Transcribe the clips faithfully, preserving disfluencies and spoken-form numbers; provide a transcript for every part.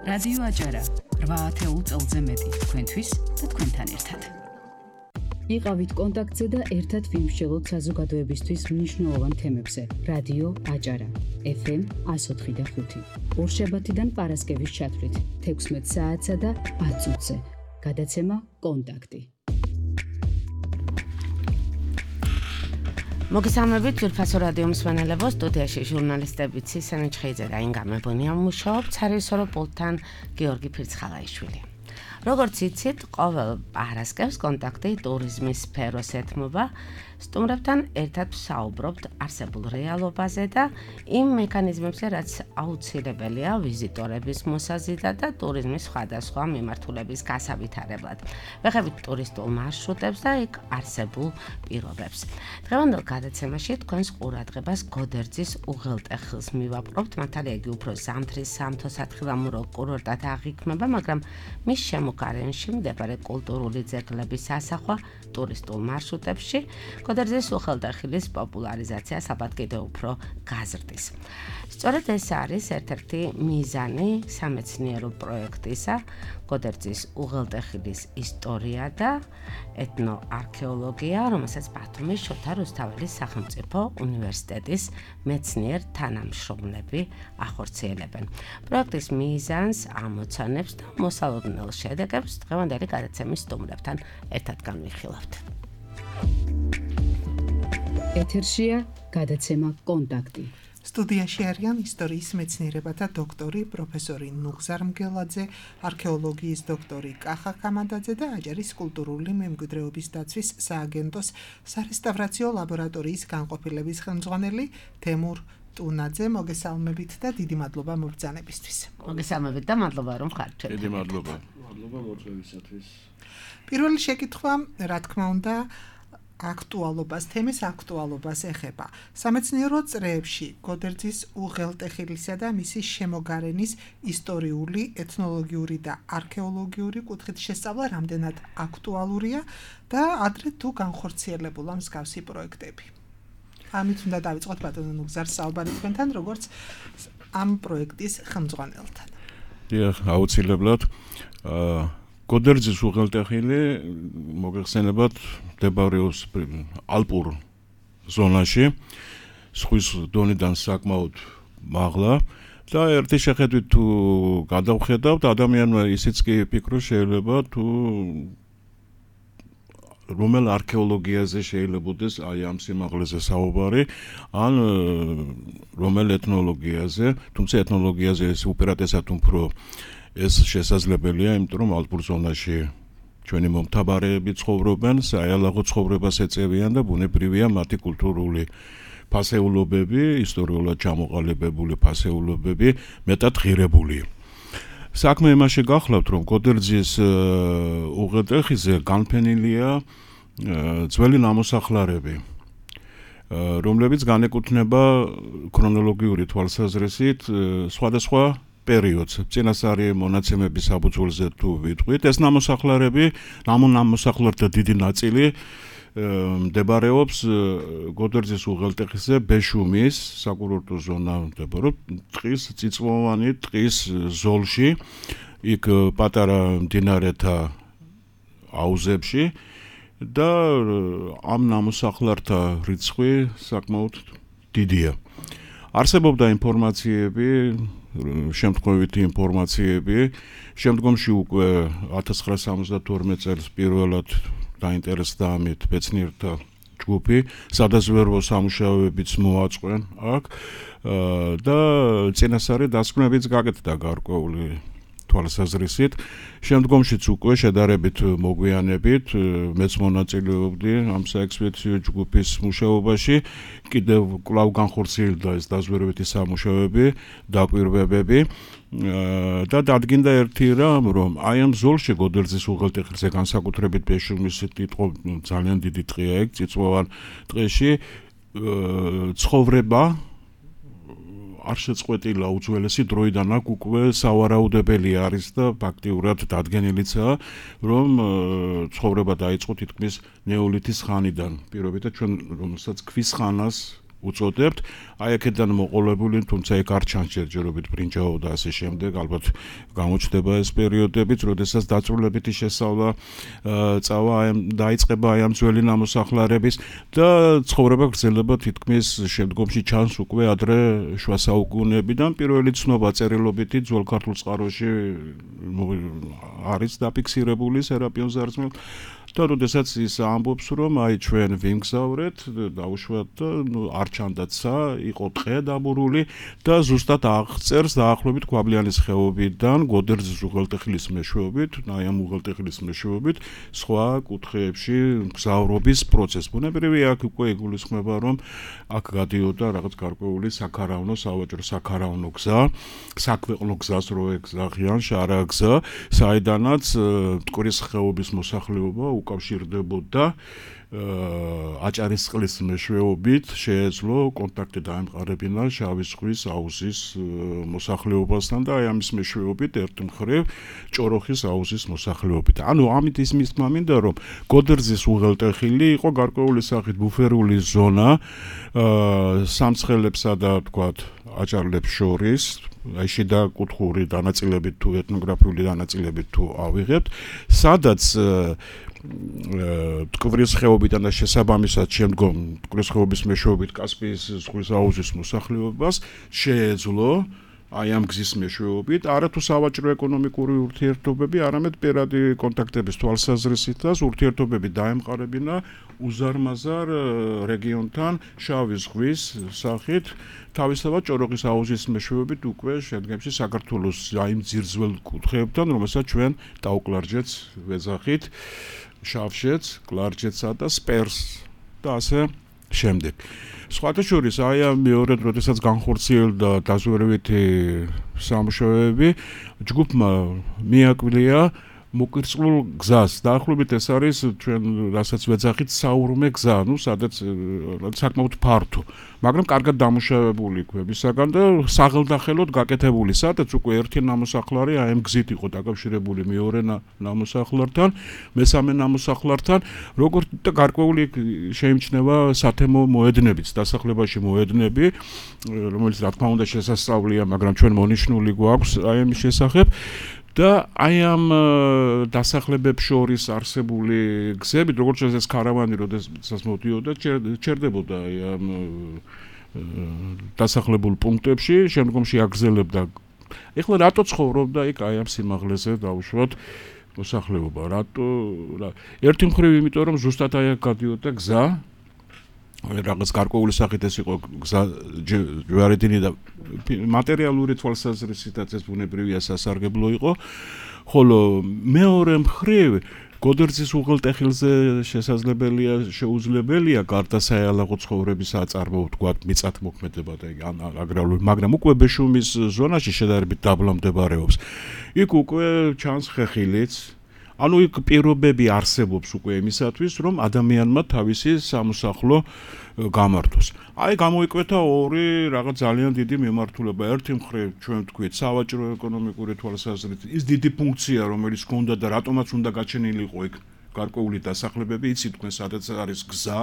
რადიო აჭარა რვა ათეულ წელზე მეტი თქვენთვის და თქვენთან ერთად. იყავით კონტაქტზე და ერთად ვიმსჯელოთ საზოგადოებისთვის მნიშვნელოვან თემებზე. რადიო აჭარა ეფ ემ εκατო ოთხი და ხუთი. ორშაბათიდან პარასკევის ჩათვლით თექვსმეტ საათსა და ათ წუთზე. გადაცემა კონტაქტი. მოგესალმებით ძვირფასო რადიო მსმენელებო, სტუდიაში ჟურნალისტები ცისენ ჩხეიძე და ინგა მებონია მუშაობთ სარიესორო პულტთან გიორგი ფირცხალაიშვილი. როგორც იცით, ყოველ პარასკევს კონტაქტი ტურიზმის სფეროს ეთმობა, სტუმრებთან ერთად ვსაუბრობთ არსებულ რეალობაზე და იმ მექანიზმებზე, რაც აუცილებელია ვიზიტორების მოსაზიდად და ტურიზმის სხვადასხვა მიმართულების გასავითარებლად. ვეხებით ტურისტულ მარშრუტებს და იქ არსებულ პირობებს. დღევანდელ გადაცემაში თქვენს ყურადღებას გოდერძის უღელტეხილს მივაპყრობთ. მართალია იგი უფრო ზამთრის სამთო-სათხილამურო კურორტად აღიქმება, მაგრამ მის შემოგარენში მდებარე კულტურული ძეგლების ასახვა ტურისტულ მარშრუტებში გოდერძის უღელტეხილის პოპულარიზაციას ალბათ კიდევ უფრო გაზრდის. სწორედ ეს არის ერთ-ერთი მიზანი სამეცნიერო პროექტისა გოდერძის უღელტეხილის ისტორია და ეთნოარქეოლოგია, რომელსაც ბათუმის შოთა რუსთაველის სახელმწიფო უნივერსიტეტის მეცნიერ თანამშრომლები ახორციელებენ. პროექტის მიზანს ამოცანებს და მოსალოდნელ შედეგებს დღევანდელი გადაცემის სტუმრებთან ერთად განვიხილავთ. ეთერშია გადაცემა კონტაქტი. სტუდიაში არიან ისტორიის მეცნიერებათა დოქტორი პროფესორი ნუღზარ მგელაძე, არქეოლოგიის დოქტორი კახა ხამადაძე და აჭარის კულტურული მემკვიდრეობის დაცვის სააგენტოს სარესტავრაციო ლაბორატორიის განყოფილების ხელმძღვანელი თემურ ტუნაძე. მოგესალმებით და დიდი მადლობა მობრძანებისთვის. მოგესალმებით და მადლობა რომ ხართ ჩვენ. დიდი მადლობა. მადლობა მოწვევისათვის. პირველი შეკითხვა, რა თქმა უნდა, აქტუალობას, თემის აქტუალობას ეხება. სამეცნიერო წრეებში გოდერძის უღელტეხილისა და მისი შემოგარენის ისტორიული, ეთნოლოგიური და არქეოლოგიური კუთხით შესწავლა რამდენად აქტუალურია და ადრე თუ განხორციელებულა მსგავსი პროექტები. ამით უნდა დავიწყოთ ბატონო ნუგზარ საუბარი თქვენთან, როგორც ამ პროექტის ხელმძღვანელთან. დიახ, აუცილებლად. გოდერძის უღელტეხილი მოგეხსენებათ მდებარეობს ალპურ ზონაში, ზღვის დონიდან საკმაოდ მაღლა და ერთი შეხედვით თუ გადავხედავთ, ადამიანმა ისიც კი ფიქრობს შეიძლება თუ რომელ არქეოლოგიაზე შეიძლებაოდეს აი ამ სიმაღლეზე საუბარი, ან რომელ ეთნოლოგიაზე, თუმცა ეთნოლოგიაზე ეს უპირატესად უფრო ეს შესაძლებელია, იმიტომ რომ ალპურ ზონაში ჩვენი მომთაბარეები ცხოვრობენ, საიალაღო ცხოვრებას ეწევიან და ბუნებრივია მათი კულტურული ფასეულობები, ისტორიულად ჩამოყალიბებული ფასეულობები მეტად ღირებული. საქმე იმაში გახლავთ, რომ გოდერძის უღელტეხილზე განფენილია ძველი ნამოსახლარები, რომლებიც განეკუთვნება ქრონოლოგიური თვალსაზრისით სხვადასხვა პერიოდს. წინასწარი მონაცემების საფუძველზე თუ ვიტყვით, ეს ნამოსახლარები, ამ ნამოსახლართა დიდი ნაწილი მდებარეობს გოდერძის უღელტეხილზე ბეშუმის საკურორტო ზონა მდებარეობს ტყის წიწვოვანი ტყის ზოლში, იქ პატარა მდინარეთა აუზებში და ამ ნამოსახლართა რიცხვი საკმაოდ დიდია. არსებობდა ინფორმაციები, შემთხვევითი ინფორმაციები, შემდგომში უკვე ათას ცხრაასი სამოცდათორმეტ წელს პირველად დაინტერესდა ამით მეცნიერთა ჯგუფი, სადაზვერვო სამუშაოებიც მოაწყვენ აქ და წინასწარი დასკვნებიც გაკეთდა გარკვეული თვალსაზრისით. შემდგომშიც უკვე შედარებით მოგვიანებით მეც მონაწილეობდი ამ საექსპედიციო ჯგუფის მუშაობაში, კიდევ კვლავ განხორციელდა ეს დაზვერვითი სამუშაოები, დაკვირვებები და დადგინდა ერთი რამ, რომ აი ამ ზოლში გოდერძის უღელტეხილზე განსაკუთრებით ბეშუმის ტყე ძალიან დიდი ტყეა ეგ წიწვოვან ტყეში ცხოვრება არ შეწყვეტილა უძველესი დროიდან აქ უკვე სავარაუდებელი არის და ფაქტიურად დადგენილიცაა, რომ ცხოვრება დაიწყო თითქმის ნეოლითის ხანიდან. პირობითად ჩვენ რომელსაც ქვის ხანას უწოდებთ. აი აქედან მოყოლებული, თუმცა ეგ არ ჩანს ჯერჯერობით ბრინჯაო და ასე შემდეგ, ალბათ გამოჩნდება ეს პერიოდებიც, როდესაც დაწვრილებითი შესწავლა წავა აი დაიწყება აი ამ ძველი ნამოსახლარების და ცხოვრება გრძელდება თითქმის შემდგომში ჩანს უკვე ადრე შუა საუკუნეებიდან. პირველი ცნობა წერილობითი ძველ ქართულ წყაროში არის დაფიქსირებული სერაპიონ ზარზმელს და როდესაც ის ამბობს, რომ აი ჩვენ ვიმგზავრეთ, დაუშვათ და ნუ არ ჩანდაცა, იყო ტყე დაბურული და ზუსტად აღწერს დაახლოებით ქვაბლიანის ხეობიდან გოდერძის უღელტეხილის მეშვეობით, აი ამ უღელტეხილის მეშვეობით სხვა კუთხეებში მგზავრობის პროცესს. ბუნებრივია აქ უკვე იგულისხმება, რომ აქ გადიოდა რაღაც გარკვეული საქარავნო, სავაჭრო საქარავნო გზა, საქვეყნო გზას რო ეგზახიან, შარა გზა, საიდანაც მტკვრის ხეობის მოსახლეობა უკავშირდებოდა აჭარისწყლის მეშვეობით შეეძლო კონტაქტი დაემყარებინა შავი ზღვის აუზის მოსახლეობასთან და აი ამის მეშვეობით ერთ მხრივ ჭოროხის აუზის მოსახლეობით. ანუ ამით ის მისმა მინდა, რომ გოდერძის უღელტეხილი იყო გარკვეული სახით ბუფერული ზონა სამცხელებსა და თქვათ აჭარლებს შორის, აი შიდა კუთხური დანაწილებით თუ ეთნოგრაფიული დანაწილებით თუ ავიღებთ, სადაც მტკვრის ხეობიდან და შესაბამისად შემდგომ მტკვრის ხეობის მეშვეობით კასპიის ზღვის აუზის მოსახლეობას შეეძლო აი ამ გზის მეშვეობით არა თუ სავაჭრო ეკონომიკური ურთიერთობები, არამედ პირადი კონტაქტების თვალსაზრისით და ურთიერთობები დაემყარებინა უზარმაზარ რეგიონთან შავი ზღვის სახით, თავისთავად ჭოროხის აუზის მეშვეობით უკვე შედგენში საქართველოს აი ძირძველ კუთხეებთან, რომელსაც ჩვენ დაუკლარჯეც ვეძახით, შავშეც, კლარჯეცსა და სპერს და ასე შემდეგ. სხვათა შორის აი ამ მეორედ როდესაც განხორციელდა დაზვერვითი სამუშაოები, ჯგუფმა მიაკვლია მოკირწყლულ გზას. დაახლოებით ეს არის ჩვენ რასაც ვეძახით საურმე გზა, ну სადაც საკმაოდ ფართო, მაგრამ კარგად დამუშავებული ქვებისაგან და საღელდახელოდ გაკეთებული, სადაც უკვე ერთი ნამოსახლარი აი ამ გზით იყო დაკავშირებული მეორე ნამოსახლართან, მესამე ნამოსახლართან, როგორც და გარკვეული შეიმჩნევა სათემო მოედნებიც, დასახლებაში მოედნები, რომელიც რა თქმა უნდა შესასწავლია, მაგრამ ჩვენ მონიშნული გვაქვს აი ამის შესახებ. და აი ამ დასახლებებს შორის არსებული გზებით, როგორც ეს კარავანი, როდესაც მოდიოდა, ჩერდებოდა აი ამ დასახლებულ პუნქტებში, შემდგომში აგრძელებდა. ეხლა რატო ცხოვრობდა იქ აი ამ სიმაღლეზე დაუშვათ მოსახლეობა? რატო? ერთი მხრივ იმიტომ, რომ ზუსტად აი აქ გადიოდა გზა, რაღაც გარკვეული სახით ეს იყო გზა ჯვარედინი და მატერიალური თვალსაზრისითაც ეს ბუნებრივია სასარგებლო იყო, ხოლო მეორე მხრივ გოდერძის უღელტეხილზე შესაძლებელია, შეუძლებელია გარდა საიალაღო ცხოვრების აწარმოო, თქვათ, მიწათმოქმედება და აგრარული, მაგრამ უკვე ბეშუმის ზონაში შედარებით დაბლა მდებარეობს. იქ უკვე ჩანს ხეხილიც, ანუ იქ პირობები არსებობს უკვე იმისათვის, რომ ადამიანმა თავისი სამოსახლო გამართოს. აი გამოიკვეთა ორი რაღაც ძალიან დიდი მიმართულება. ერთი მხრივ ჩვენ ვთქვით, სავაჭრო ეკონომიკური თვალსაზრისით ის დიდი ფუნქცია, რომელიც ჰქონდა და რატომაც უნდა გაჩენილიყო იქ გარკვეული დასახლებები, იცით თქვენ, სადაც არის გზა,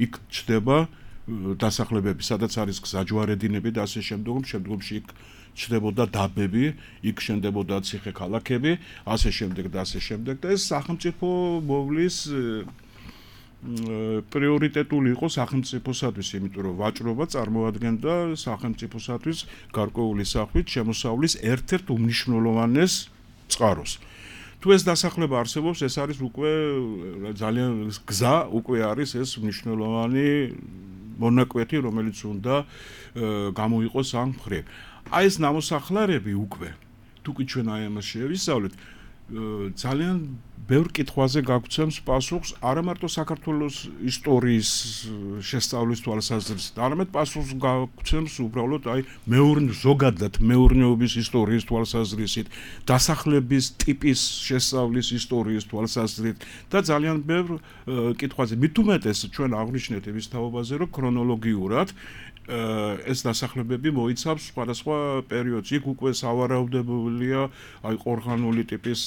იქ ჩდება დასახლებები, სადაც არის გზა, ჯვარედინები და ასე შემდგომ, შემდგომში იქ ჩნდებოდა დაბები, იქ შენდებოდა ციხე ქალაქები, ასე შემდეგ და ასე შემდეგ და ეს სახელმწიფო მოვლის პრიორიტეტული იყო სახელმწიფოსათვის, იმიტომ რომ ვაჭრობა წარმოადგენდა სახელმწიფოსათვის გარკვეული სახვით შემოსავლის ერთ-ერთ უმნიშვნელოვანეს წყაროს. თუ ეს დასახლება არსებობს, ეს არის უკვე ძალიან გზა, უკვე არის ეს მნიშვნელოვანი მონაკვეთი, რომელიც უნდა გამოიყოს ამ მხრივ. აი ეს ნამოსახლარები უკვე, თუკი ჩვენ აი ამას შევისწავლეთ, ძალიან ბევრ კითხვაზე გაგვცემს პასუხს არა მარტო საქართველოს ისტორიის შესწავლის თვალსაზრისით, არამედ პასუხს გაგვცემს უბრალოდ აი მეურნეობის ზოგადად მეურნეობის ისტორიის თვალსაზრისით, დასახლების ტიპის შესწავლის ისტორიის თვალსაზრისით და ძალიან ბევრ კითხვაზე. მით უმეტეს ჩვენ აღვნიშნეთ იმის თაობაზე, რომ ქრონოლოგიურად ეს დასახლებები მოიცავს სხვადასხვა პერიოდს. იქ უკვე სავარაუდებულია აი ყორღანული ტიპის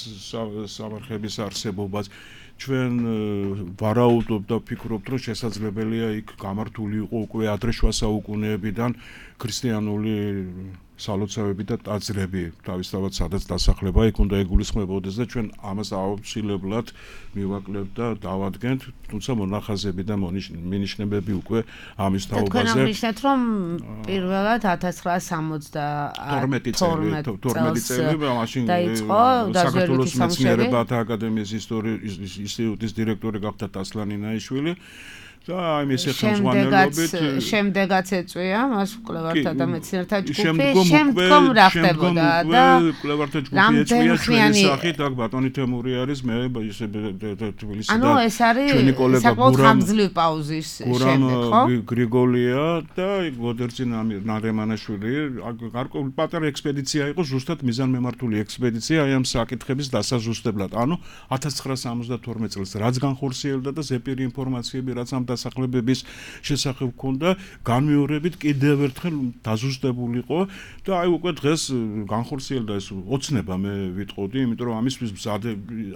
სამარხების არსებობას ჩვენ ვარაუდობ და ვფიქრობთ, რომ შესაძლებელია იქ გამართული იყო უკვე ადრე შუა საუკუნეებიდან ქრისტიანული სალოცავები და ტაძრები, თავისთავად სადაც დასახლება იქ უნდა ეგულისხმებოდეს და ჩვენ ამას აუცილებლად მივაკლებთ და დავადგენთ, თუმცა მონახაზები და მინიშნებები უკვე ამის თაობაზე. თქვენ აღნიშნეთ, რომ პირველად ათას ცხრაას სამოცდათორმეტი წელი მაშინ საქართველოს მეცნიერებათა აკადემიის ინსტიტუტის დირექტორი გახდა ტასლანი ნაიშვილი. და აი ეს ხელმძღვანელობით შემდეგაც ეწვია მას კვლევართა და მეცნიერთა ჯგუფი შემდგომ რა ხდებოდა და კვლევართა ჯგუფი ეწვია ჩვენი სახით აქ ბატონი თემური არის მე ისე თბილისიდან ანუ ეს არის საკმაოდ ხანგრძლივი პაუზის შემდეგ ხო გრიგოლია და გოდერძი ნარემანაშვილი გარკვეული პატარა ექსპედიცია იყო ზუსტად მიზანმემართული ექსპედიცია აი ამ საკითხების დასაზუსტებლად ანუ ათას ცხრაას სამოცდათორმეტ წელს რაც განხორციელდა და ზეპირი ინფორმაციები რაც ამ დასახლებების შესახებ ქონდა განმეორებით კიდევ ერთხელ დაზუსტებულიყო და აი უკვე დღეს განხორციელდა ეს ოცნება მე ვიტყოდი იმიტომ რომ ამისთვის მზადე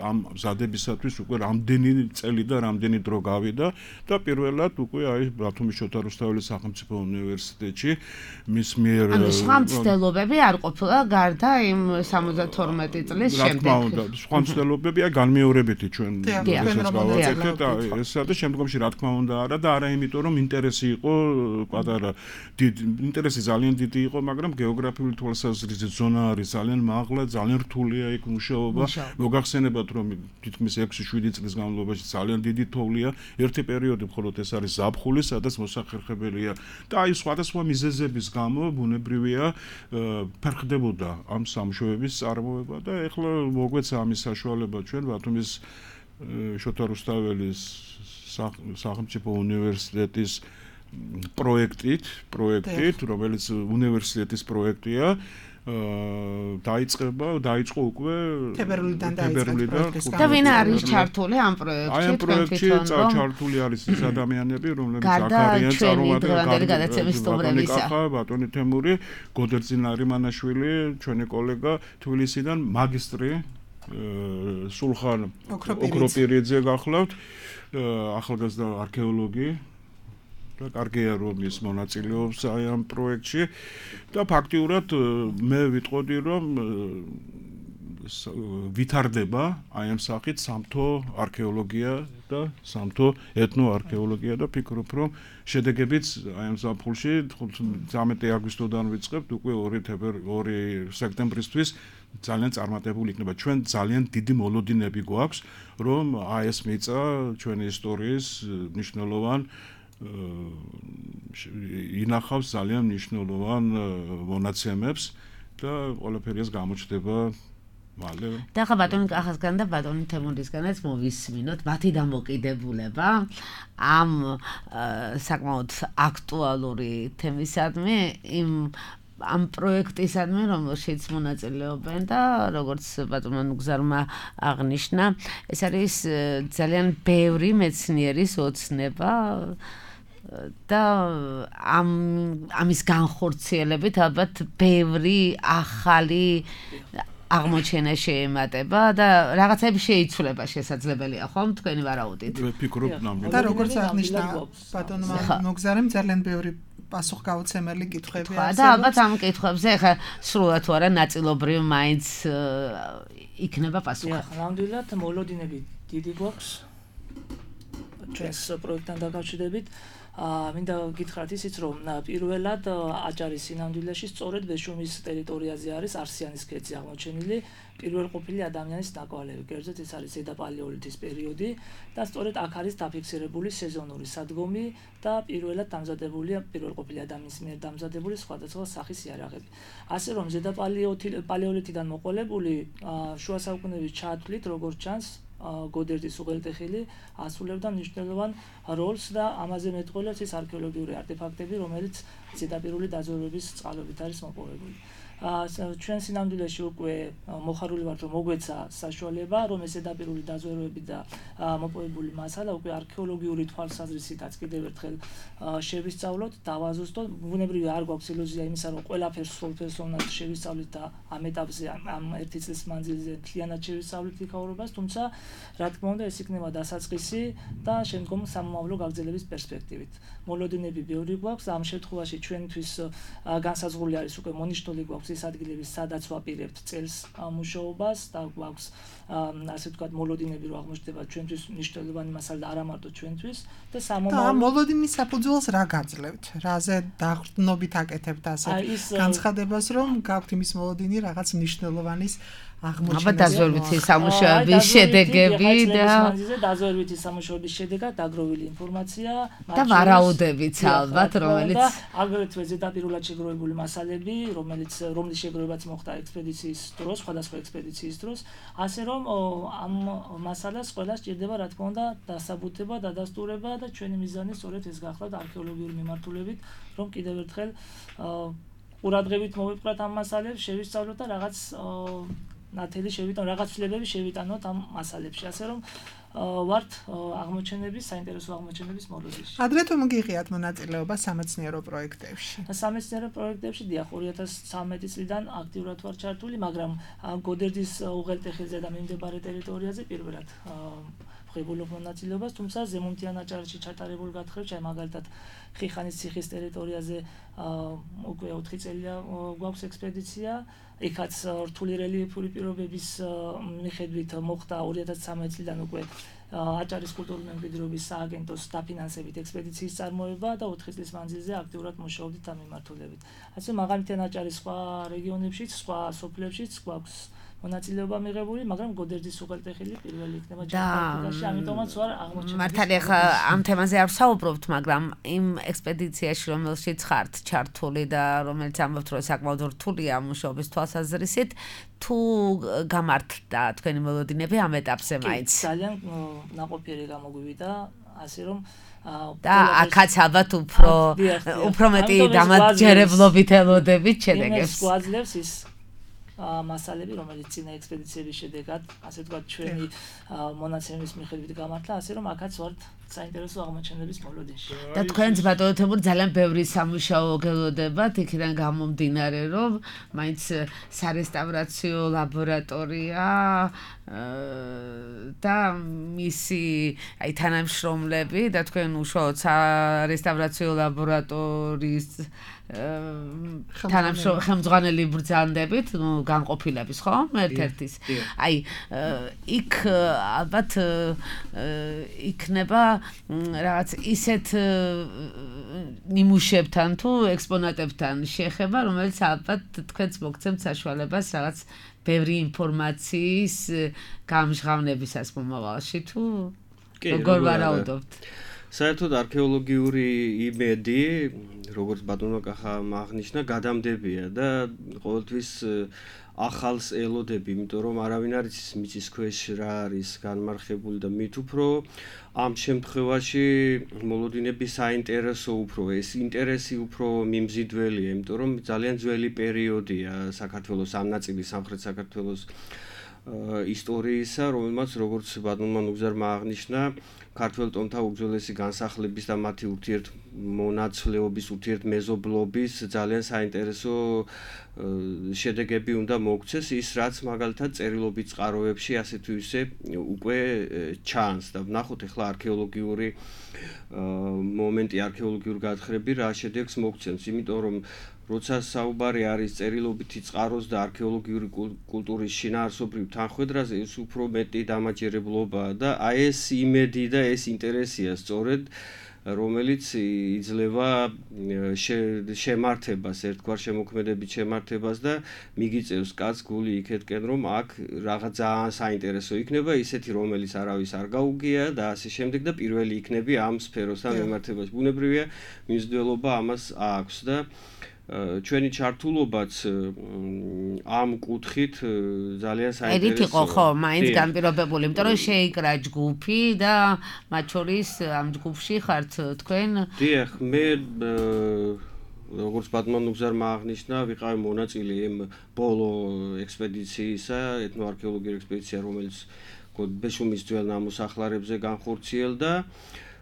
ამ მზადებისათვის უკვე რამდენი წელი და რამდენი დრო გავიდა და პირველად უკვე აი ბათუმის შოთა რუსთაველის სახელმწიფო უნივერსიტეტში მის მიერ ანუ სხვა მცდელობები არ ყოფილა გარდა იმ სამოცდათორმეტი წლის შემდეგ რა თქმა უნდა სხვა მცდელობები აი განმეორებითი ჩვენ ესაც გავაკეთეთ და ესა და შემდგომში რა თქმა უნდა არა და არა იმიტომ რომ ინტერესი იყო პატარა დიდი ინტერესი ძალიან დიდი იყო მაგრამ გეოგრაფიული თვალსაზრისით ზონა არის ძალიან მაღლა ძალიან რთულია იქ მუშაობა მოგახსენებათ რომ თითქმის ექვსი შვიდი წლის განმავლობაში ძალიან დიდი თოვლია ერთი პერიოდი მხოლოდ ეს არის ზაფხული სადაც მოსახერხებელია და აი სხვადასხვა მიზეზების გამო ბუნებრივია ფერხდებოდა ამ სამუშაოების წარმოება და ეხლა მოგვეცა ამის საშუალება ჩვენ ბათუმის შოთა რუსთაველის სახელმწიფო უნივერსიტეტის პროექტით, პროექტით, რომელიც უნივერსიტეტის პროექტია, დაიწყება, დაიწყო უკვე თებერვლიდან დაიწყო. და ვინ არის ჩართული ამ პროექტში? აი ამ პროექტში ჩართული არის ის ადამიანები, რომლებიც აქ არიან წარმომადგენლები, ბატონი თემური, გოდერძი ნარიმანაშვილი, ჩვენი კოლეგა თბილისიდან მაგისტრი სულხან ოქროპირიძე გახლავთ. ახალგაზრდა არქეოლოგი და კარგია რომ ის მონაწილეობს აი ამ პროექტში და ფაქტიურად მე ვიტყოდი რომ ვითარდება აი ამ სახით სამთო არქეოლოგია და სამთო ეთნოარქეოლოგია და ფიქრობ რომ შედეგებიც აი ამ ზაფხულში თერთმეტი აგვისტოდან ვიწყებთ უკვე ორი სექტემბრისთვის ძალიან წარმატებული იქნება. ჩვენ ძალიან დიდი მოლოდინები გვაქვს, რომ აი ეს მიწა ჩვენი ისტორიის მნიშვნელოვან ინახავს ძალიან მნიშვნელოვან მონაცემებს და ყველაფერი ეს გამოჩნდება მალე. და ხა ბატონი კახასგან და ბატონი თემურისგანაც მოვისმინოთ მათი დამოკიდებულება ამ საკმაოდ აქტუალური თემისადმი იმ ამ პროექტისადმი რომელშიც მონაწილეობენ და როგორც ბატონმა ნუგზარმა აღნიშნა ეს არის ძალიან ბევრი მეცნიერის ოცნება და ამ ამის განხორციელებით ალბათ ბევრი ახალი აღმოჩენა შეემატება და რაღაცები შეიცვლება შესაძლებელია ხომ თქვენი ვარაუდით ვფიქრობ ნამდვილად და როგორც აღნიშნა ბატონმა ნუგზარემ ძალიან ბევრი პასუხგაუცემელი კითხვები არის და ალბათ ამ კითხვებზე ახლა სრულად თუ არა ნაწილობრივ მაინც იქნება პასუხი. ნამდვილად მოლოდინები დიდი გვაქვს ჩვენს პროექტთან დაკავშირებით. მინდა გითხრათ ისიც რომ პირველად აჭარის სინამდვილეში სწორედ ბეშუმის ტერიტორიაზე არის არსიანის ქედზე აღმოჩენილი პირველყოფილი ადამიანის ნაკვალევი. კერძოდ ეს არის ზედაპალეოლითის პერიოდი და სწორედ აქ არის დაფიქსირებული სეზონური სადგომი და პირველად დამზადებულია პირველყოფილი ადამიანის მიერ დამზადებული სხვადასხვა სახის იარაღები. ასე რომ ზედაპალეოლითიდან მოყოლებული შუა საუკუნეების ჩათვლით როგორც ჩანს გოდერძის უღელტეხილი ასრულებდა მნიშვნელოვან როლს და ამაზე მეტყველებს ის არქეოლოგიური არტეფაქტები, რომელიც ზედაპირული დაზვერვების წყალობით არის მოპოვებული. ჩვენ სინამდვილეში უკვე მოხარული ვართ რომ მოგვეცა საშუალება რომ ეს ზედაპირული დაზვერვები და მოპოვებული მასალა უკვე არქეოლოგიური თვალსაზრისითაც კიდევ ერთხელ შევისწავლოთ, დავაზუსტოთ. ბუნებრივი არ გვაქვს ილუზია იმისა რომ ყველაფერს სრულფეროვნად შევისწავლით და ამ ეტაპზე ამ ერთი წლის მანძილზე მთლიანად შევისწავლით იქაურობას, თუმცა რა თქმა უნდა ეს იქნება დასაწყისი და შემდგომ სამომავლო გაგრძელების პერსპექტივით. მოლოდინები ბევრი გვაქვს, ამ შემთხვევაში ჩვენთვის განსაზღვრული არის უკვე მონიშნული გვაქვს ის ადგილები, სადაც ვაპირებთ წელს მუშაობას და გვაქვს ასე ვთქვათ მოლოდინები რო აღმოჩნდება ჩვენთვის მნიშვნელოვანი მასალა და არა მარტო ჩვენთვის და სამომავლო და მოლოდინის საფუძველს რა გაძლევთ? რაზე დაყრდნობით აკეთებთ ასე განცხადებას რომ გაქვთ იმის მოლოდინი რაღაც მნიშვნელოვანის აღმოჩენა. აბა დაზვერვითი სამუშაოების შედეგები და დაზვერვითი სამუშაოების შედეგად დაგროვილი ინფორმაცია და ვარაუდებიც ალბათ რომელიც აგრეთვე ზედაპირულად შეგროვებული მასალები, რომელიც რომლის შეგროვებაც მოხდა ექსპედიციის დროს, სხვადასხვა ექსპედიციის დროს, ასე რომ ამ მასალას ყველა სჭირდება რა თქმა უნდა დასაბუთება, დადასტურება და ჩვენი მიზანი სწორედ ეს გახლავთ არქეოლოგიური მიმართულებით, რომ კიდევ ერთხელ ყურადღებით მოვიპყრათ ამ მასალებს, შევისწავლოთ და რაღაც ნათელი შევიტანოთ, რაღაც ცვლილებები შევიტანოთ ამ მასალებში, ასე რომ ვართ აღმოჩენების, საინტერესო აღმოჩენების მოლოდინში. ადრე თუ მოგიღიათ მონაწილეობა სამეცნიერო პროექტებში? სამეცნიერო პროექტებში დიახ ორი ათას ცხრამეტი წლიდან აქტიურად ვარ ჩართული, მაგრამ გოდერძის უღელტეხილზე და მიმდებარე ტერიტორიაზე პირველად ვღებულობ მონაწილეობას, თუმცა ზემომთიან აჭარაში ჩატარებულ გათხრებში, აი მაგალითად ხიხანის ციხის ტერიტორიაზე უკვე ოთხი წელია გვაქვს ექსპედიცია. იქაც რთული რელიეფური პირობების მიხედვით მოხდა ორი ათას ცხრამეტი წლიდან უკვე აჭარის კულტურული მემკვიდრეობის სააგენტოს დაფინანსებით ექსპედიციის წარმოება და ოთხი წლის მანძილზე აქტიურად მუშაობდით ამ მიმართულებით. ასე მაგალითად აჭარის სხვა რეგიონებშიც, სხვა სოფლებშიც გვაქვს მონაწილეობა მიღებული, მაგრამ გოდერძის უღელტეხილი პირველი იქნება ჯერ ამიტომაც ვარ აღმოჩენილი. მართალია ხა ამ თემაზე არ ვსაუბრობთ, მაგრამ იმ ექსპედიციაში რომელშიც ხართ ჩართული და რომელიც ამბობთ რომ საკმაოდ რთულია მუშაობის თვალსაზრისით, თუ გამართდა თქვენი მოლოდინები ამ ეტაპზე მაინც? ძალიან ნაყოფიერი გამოგვივიდა, ასე რომ და აქაც ალბათ უფრო უფრო მეტი დამაჯერებლობით ელოდებით შედეგებს. იმას გვაძლევს ის მასალები, რომელიც წინა ექსპედიციების შედეგად, ასე ვთქვათ, ჩვენი მონაცემების მიხედვით გამართლა, ასე რომ აქაც ვართ საინტერესო აღმოჩენების მოლოდინში. და თქვენც ბატონო თემური ძალიან ბევრი სამუშაო გელოდებათ, იქიდან გამომდინარე, რომ მაინც სარესტავრაციო ლაბორატორია და მისი აი თანამშრომლები და თქვენ უშუალოდ სარესტავრაციო ლაბორატორიის ხელმძღვანელი ბრძანდებით, ნუ განყოფილების, ხო? ერთ-ერთის. აი, იქ ალბათ იქნება რაღაც ისეთ ნიმუშებთან თუ ექსპონატებთან შეხება, რომელიც ალბათ თქვენც მოგცემთ საშუალებას რაღაც ბევრი ინფორმაციის გამჟღავნებისას მომავალში თუ როგორ ვარაუდობთ? საერთოდ არქეოლოგიური იმედი, როგორც ბატონო კახამ აღნიშნა, გადამდებია და ყოველთვის ახალს ელოდები, იმიტომ რომ არავინ არ იცის მიწის ქვეშ რა არის განმარხებული და მით უფრო ამ შემთხვევაში მოლოდინები საინტერესო უფრო, ეს ინტერესი უფრო მიმზიდველია, იმიტომ რომ ძალიან ძველი პერიოდია საქართველოს ამ ნაწილის სამხრეთ საქართველოს ისტორიისა, რომელმაც როგორც ბატონმა ნუგზარმა აღნიშნა, ქართველ ტომთა უძველესი განსახლების და მათი ურთიერთმონაცვლეობის, ურთიერთმეზობლობის ძალიან საინტერესო შედეგები უნდა მოგცეს, ის რაც მაგალითად წერილობით წყაროებში ასე თუ ისე უკვე ჩანს და ვნახოთ ახლა არქეოლოგიური მომენტი, არქეოლოგიური გათხრები რა შედეგს მოგცემს, იმიტომ რომ როცა საუბარი არის წერილობითი წყაროს და არქეოლოგიური კულტურის შინაარსობრივ თანხვედრაზე, ეს უფრო მეტი დამაჯერებლობაა და აი ეს იმედი და ეს ინტერესია სწორედ, რომელიც იძლევა შემართებას, ერთგვარ შემოქმედებით შემართებას და მიგიწევს კაც გული იქეთკენ, რომ აქ რაღაც ძალიან საინტერესო იქნება, ისეთი რომელიც არავის არ გაუგია და ასე შემდეგ და პირველი იქნები ამ სფეროსთან მიმართებაში. ბუნებრივია მიმზიდველობა ამას აქვს და ჩვენი ჩართულობაც ამ კუთხით ძალიან საინტერესოა. ერით იყო ხო, მაინც განპირობებული, იმიტომ რომ შეიკრა ჯგუფი და მათ შორის ამ ჯგუფში ხართ თქვენ? დიახ, მე როგორც ბატონმა ნუგზარმა აღნიშნა, ვიყავი მონაწილე იმ ბოლო ექსპედიციისა, ეთნოარქეოლოგიური ექსპედიცია, რომელიც ბეშუმის ძველ ნამოსახლარებზე განხორციელდა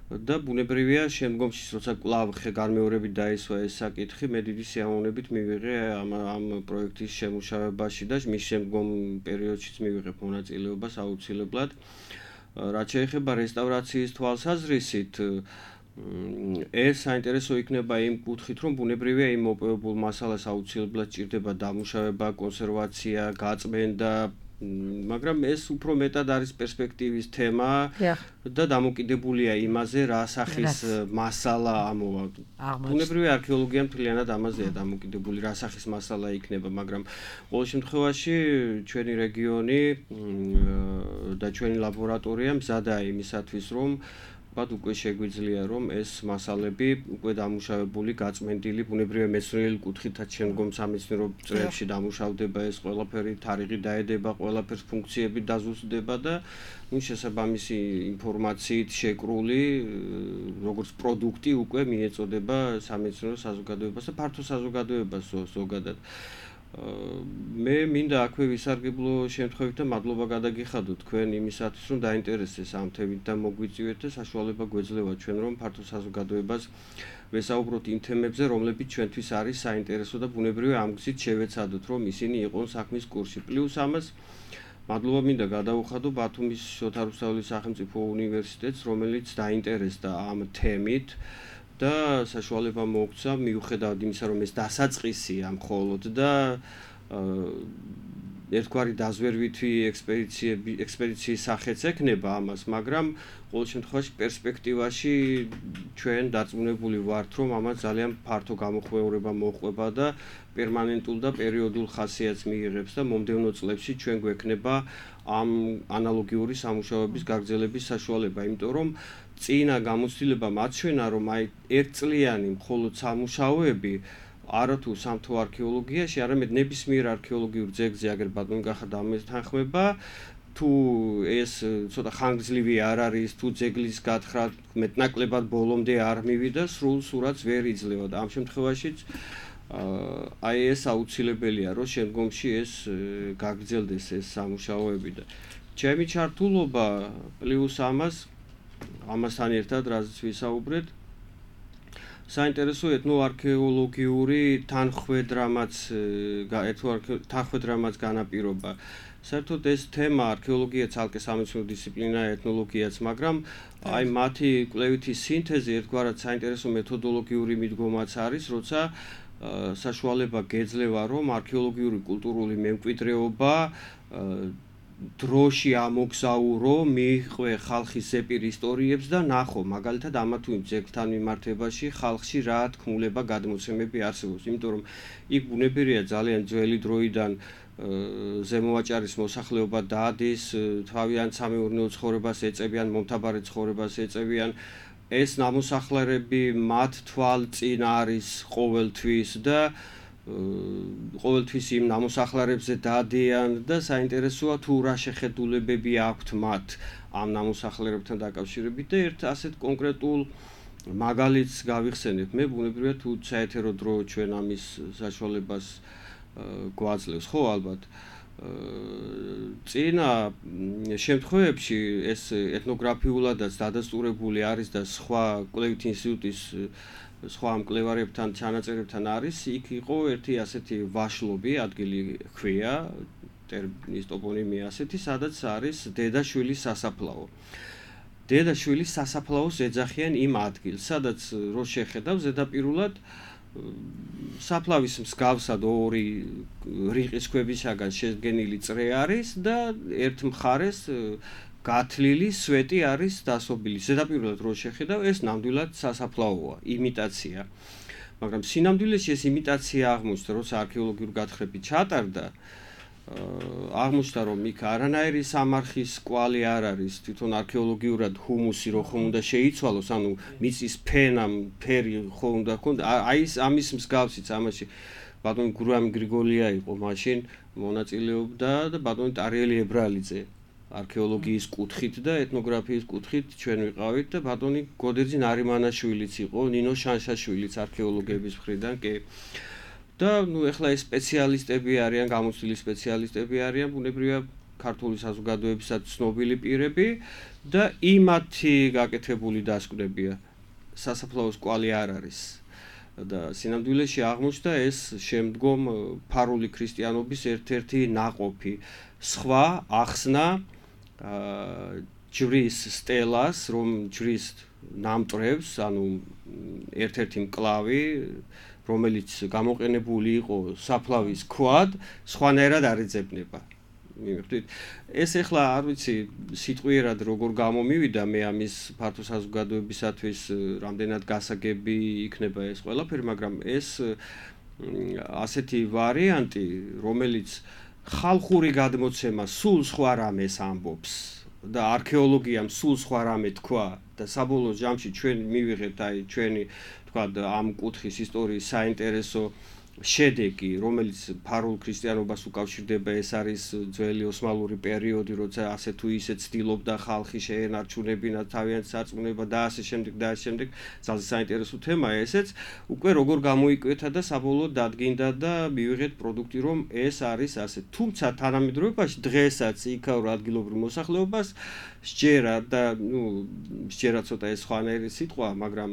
და ბუნებრივია შემდგომში, როცა კვლავ განმეორებით დაისვა ეს საკითხი, მე დიდი სიამოვნებით მივიღე ამ ამ პროექტის შემუშავებაში და მის შემდგომ პერიოდშიც მივიღებ მონაწილეობას აუცილებლად. რაც შეეხება რესტავრაციის თვალსაზრისით, ეს საინტერესო იქნება იმ კუთხით, რომ ბუნებრივია იმ მოპოვებულ მასალას აუცილებლად ჭირდება დამუშავება, კონსერვაცია, გაწმენდა, მაგრამ ეს უფრო მეტად არის პერსპექტივის თემა და დამოკიდებულია იმაზე, რა სახის მასალა ამოვა. ბუნებრივია არქეოლოგია მთლიანად ამაზეა დამოკიდებული, რა სახის მასალა იქნება, მაგრამ ყოველ შემთხვევაში ჩვენი რეგიონი და ჩვენი ლაბორატორია მზადაა იმისათვის, რომ ვთქვათ, უკვე შეგვიძლია რომ ეს მასალები უკვე დამუშავებული, გაწმენდილი, ბუნებრივია მეცნიერული კუთხითაც შემდგომ სამეცნიერო წრეებში დამუშავდება ეს ყველაფერი, თარიღი დაედება, ყველაფერს ფუნქციები დაზუსტდება და ნუ შესაბამისი ინფორმაციით შეკრული როგორც პროდუქტი უკვე მიეწოდება სამეცნიერო საზოგადოებას და ფართო საზოგადოებას ზოგადად. მე მინდა აქვე ვისარგებლო შემთხვევით და მადლობა გადაგიხადო თქვენ იმისათვის, რომ დაინტერესდეს ამ თემით და მოგვიწივეთ და საშუალება გვეძლევა ჩვენ რომ ფართო საზოგადოებას ვესაუბროთ იმ თემებზე, რომლებიც ჩვენთვის არის საინტერესო და ბუნებრივია ამ გზით შევეცადოთ, რომ ისინი იყვნენ საქმის კურსში. პლუს ამას მადლობა მინდა გადავუხადო ბათუმის შოთა რუსთაველის სახელმწიფო უნივერსიტეტს, რომელიც დაინტერესდა ამ თემით და საშუალება მოგვცა მიუხედავად იმისა, რომ ეს დასაწყისია მხოლოდ და ერთგვარი დაზვერვითი ექსპედიციები ექსპედიციის სახეც ექნება ამას, მაგრამ ყოველ შემთხვევაში პერსპექტივაში ჩვენ დარწმუნებული ვართ, რომ ამას ძალიან ფართო გამოხმეურება მოჰყვება და პერმანენტულ და პერიოდულ ხასიათს მიიღებს და მომდევნო წლებში ჩვენ გვექნება ამ ანალოგიური სამუშაოების გაგრძელების საშუალება, იმიტომ რომ წინა გამოცდილება მაჩვენა, რომ აი ერთწლიანი მხოლოდ სამუშაოები არათუ სამთო არქეოლოგიაში, არამედ ნებისმიერ არქეოლოგიურ ძეგლზე, აგერ ბატონი გახარდა ამას თანხმება, თუ ეს ცოტა ხანგრძლივი არ არის, თუ ძეგლის გათხრა მეტნაკლებად ბოლომდე არ მივიდა, სრულ სურათს ვერ იძლევა და ამ შემთხვევაშიც აი ეს აუცილებელია, რომ შემდგომში ეს გაგრძელდეს ეს სამუშაოები და ჩემი ჩართულობა პლუს ამას ამასთან ერთად რაზეც ვისაუბრეთ, საინტერესო ეთნოარქეოლოგიური თანხმედრამაც თანხმედრამაც განაპირობა. საერთოდ ეს თემა არქეოლოგია ცალკე სამეცნიერო დისციპლინაა, ეთნოლოგიაც, მაგრამ აი მათი კვლევითი სინთეზი ერთგვარად საინტერესო მეთოდოლოგიური მიდგომაც არის, როცა საშუალება გეძლევა, რომ არქეოლოგიური კულტურული მემკვიდრეობა დროში ამოგზაურო, მიიყვე ხალხის ზეპირ ისტორიებს და ნახო, მაგალითად ამა თუ იმ ძეგლთან მიმართებაში ხალხში რა თქმულება გადმოცემები არსებობს, იმიტომ რომ იქ ბუნებრივია ძალიან ძველი დროიდან ზემოვაჭარის მოსახლეობა დადის, თავიანთ სამეურნეო ცხოვრებას ეწევიან, მომთაბარე ცხოვრებას ეწევიან. ეს ნამოსახლარები მათ თვალწინ არის ყოველთვის და ყოველთვის იმ ნამოსახლარებზე დადიან და საინტერესოა თუ რა შეხედულებები აქვთ მათ ამ ნამოსახლარებთან დაკავშირებით და ერთ ასეთ კონკრეტულ მაგალითს გავიხსენებ. მე ბუნებრივია თუ საეთერო დრო ჩვენ ამის საშუალებას გვაძლევს, ხო ალბათ. წინა შემთხვევებში ეს ეთნოგრაფიულადაც დადასტურებული არის და სხვა კვლევითი ინსტიტუტის სხვა მკვლევარებთან ჩანაწერებთან არის, იქ იყო ერთი ასეთი ვაშლობი, ადგილი ჰქვია, ტერმინის ტოპონიმია ასეთი, სადაც არის დედაშვილის სასაფლაო. დედაშვილის სასაფლაოს ეძახიან იმ ადგილს, სადაც რო შეხედავ ზედაპირულად საფლავის მსგავსად ორი რიყის ქვებისაგან შედგენილი წრე არის და ერთ მხარეს გათლილი სვეტი არის დასობილი. ზედაპირულად რო შეხედავ, ეს ნამდვილად სასაფლაოა, იმიტაცია. მაგრამ სინამდვილეში ეს იმიტაცია აღმოჩნდა, როცა არქეოლოგიური გათხრები ჩატარდა, აღმოჩნდა, რომ იქ არანაირი სამარხის კვალი არ არის, თვითონ არქეოლოგიურად ჰუმუსი რო ხომ უნდა შეიცვალოს, ანუ მიწის ფენა, ფერი ხომ უნდა ქონდა, აი ეს ამის მსგავსიც ამაში ბატონი გურამი გრიგოლია იყო მაშინ მონაწილეობდა და ბატონი ტარიელი ებრალიძე. არქეოლოგიის კუთხით და ეთნოგრაფიის კუთხით ჩვენ ვიყავით და ბატონი გოდერძი ნარიმანაშვილიც იყო, ნინო შანშაშვილიც არქეოლოგების მხრიდან კი. და ნუ ეხლა ეს სპეციალისტები არიან, გამოცდილი სპეციალისტები არიან, ბუნებრივია ქართული საზოგადოებისაც ცნობილი პირები და იმათი გაკეთებული დასკვნებია. სასაფლაოს კვალი არ არის. და სინამდვილეში აღმოჩნდა ეს შემდგომ ფარული ქრისტიანობის ერთ-ერთი ნაყოფი. სხვა ახსნა ჯვრის სტელას, რომ ჯვრის ნამტრევს, ანუ ერთ-ერთი მკლავი, რომელიც გამოყენებული იყო საფლავის ქვად, სხვანაირად არ ეძებნება. მივხვდით. ეს ახლა არ ვიცი სიტყვიერად როგორ გამომივიდა, მე ამის ფართო საზოგადოებისათვის რამდენად გასაგები იქნება ეს ყველაფერი, მაგრამ ეს ასეთი ვარიანტი, რომელიც ხალხური გადმოცემა სულ სხვა რამეს ამბობს და არქეოლოგიამ სულ სხვა რამე თქვა და საბოლოო ჯამში ჩვენ მივიღეთ აი ჩვენი თქვა ამ კუთხის ისტორიის საინტერესო შედეგი, რომელიც ფარულ ქრისტიანობას უკავშირდება, ეს არის ძველი ოსმალური პერიოდი, როცა ასე თუ ისე ცდილობდა ხალხი შეენარჩუნებინა თავიანთი სარწმუნება და ასე შემდეგ და ასე შემდეგ. ძალიან საინტერესო თემაა ესეც. უკვე როგორ გამოიკვეთა და საბოლოოდ დადგინდა და მივიღეთ პროდუქტი, რომ ეს არის ასე. თუმცა თანამედროვეობაში დღესაც იქაურ ადგილობრივ მოსახლეობას სჯერა და ნუ სჯერა ცოტა ეს სხვანაირი სიტყვა, მაგრამ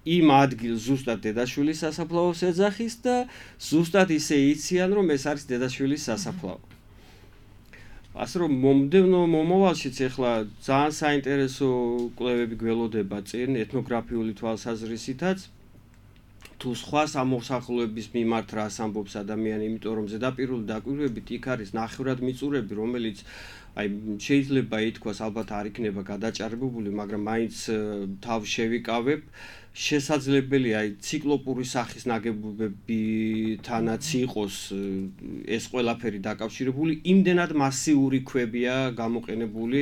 იმ ადგილს ზუსტად დედაშვილის სასაფლაოს ეძახის და ზუსტად ისე იციან, რომ ეს არის დედაშვილის სასაფლაო. ასე რომ მომდევნო მომავალშიც ახლა ძალიან საინტერესო კვლევები გველოდება წინ ეთნოგრაფიული თვალსაზრისითაც თუ სხვა სამოსახლოების მიმართ რას ამბობს ადამიანი, იმიტომ რომ ზედაპირული დაკვირვებით იქ არის ნახევრად მიწურები, რომელიც აი შეიძლება ითქვას ალბათ არ იქნება გადაჭარბებული, მაგრამ მაინც თავ შევიკავებ. შესაძლებელია აი ციკლოპური სახის ნაგებობებთანაც იყოს ეს ყველაფერი დაკავშირებული, იმდენად მასიური ქვებია გამოყენებული,